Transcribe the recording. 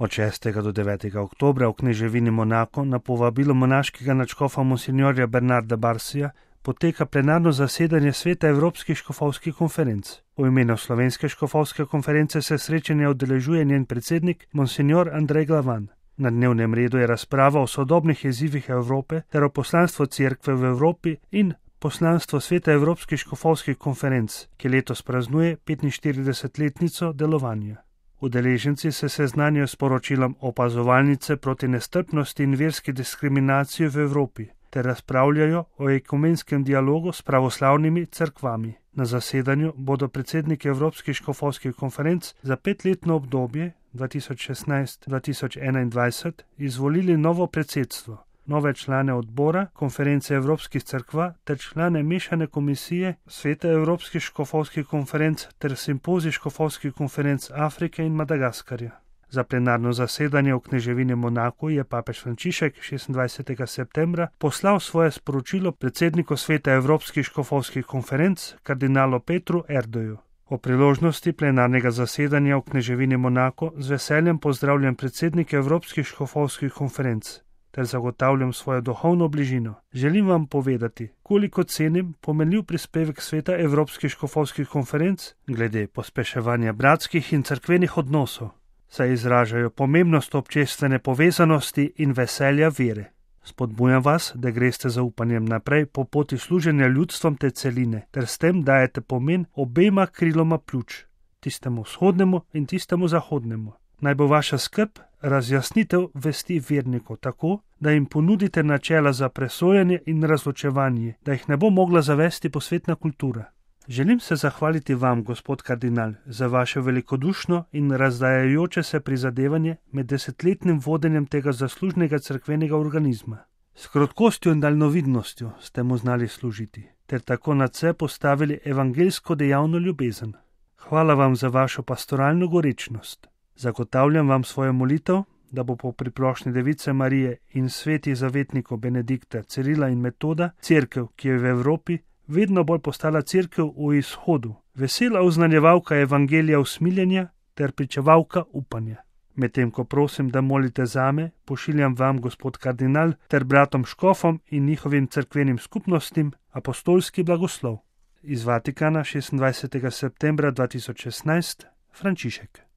Od 6. do 9. oktobra v kneževini Monako na povabilo monaškega nadškofa monsinjorja Bernarda Barsija poteka plenarno zasedanje Sveta Evropskih škofovskih konferenc. V imenu Slovenske škofovske konference se srečanja udeležuje njen predsednik monsinjor Andrej Glavan. Na dnevnem redu je razprava o sodobnih izzivih Evrope ter o poslanstvu Cerkve v Evropi in poslanstvo Sveta Evropskih škofovskih konferenc, ki letos praznuje 45-letnico delovanja. Udeleženci se seznanijo s poročilom opazovalnice proti nestrpnosti in verski diskriminaciji v Evropi ter razpravljajo o ekumenskem dialogu s pravoslavnimi cerkvami. Na zasedanju bodo predsedniki Evropskih škofovskih konferenc za 5-letno obdobje 2016-2021 izvolili novo predsedstvo, nove člane odbora konference Evropskih cerkva ter člane mešane komisije Sveta Evropskih škofovskih konferenc ter simpozij škofovskih konferenc Afrike in Madagaskarja. Za plenarno zasedanje v kneževini Monako je papež Frančišek 26. septembra poslal svoje sporočilo predsedniku Sveta Evropskih škofovskih konferenc kardinalu Petru Erdoju. O priložnosti plenarnega zasedanja v kneževini Monako z veseljem pozdravljam predsednike Evropskih škofovskih konferenc ter zagotavljam svojo duhovno bližino. Želim vam povedati, koliko cenim pomenljiv prispevek Sveta Evropskih škofovskih konferenc glede pospeševanja bratskih in cerkvenih odnosov, saj izražajo pomembnost občestvene povezanosti in veselja vere. Spodbujam vas, da greste z upanjem naprej po poti služenja ljudstvom te celine, ter s tem dajete pomen obema kriloma pljuč, tistemu vzhodnemu in tistemu zahodnemu. Naj bo vaša skrb razjasnitev vesti vernikov tako, da jim ponudite načela za presojanje in razločevanje, da jih ne bo mogla zavesti posvetna kultura. Želim se zahvaliti vam, gospod kardinal, za vaše velikodušno in razdajajoče se prizadevanje med 10-letnim vodenjem tega zaslužnega cerkvenega organizma. S krotkostjo in daljnovidnostjo ste mu znali služiti, ter tako nadse postavili evangeljsko dejavno ljubezen. Hvala vam za vašo pastoralno gorečnost. Zagotavljam vam svojo molitev, da bo po priprošnji Device Marije in svetih zavetnikov Benedikta, Cirila in Metoda cerkev, ki je v Evropi, vedno bolj postala cerkev v izhodu, vesela oznanjevalka evangelija usmiljenja ter pričevalka upanja. Medtem ko prosim, da molite zame, pošiljam vam, gospod kardinal, ter bratom škofom in njihovim cerkvenim skupnostim apostolski blagoslov. Iz Vatikana 26. septembra 2016, Frančišek.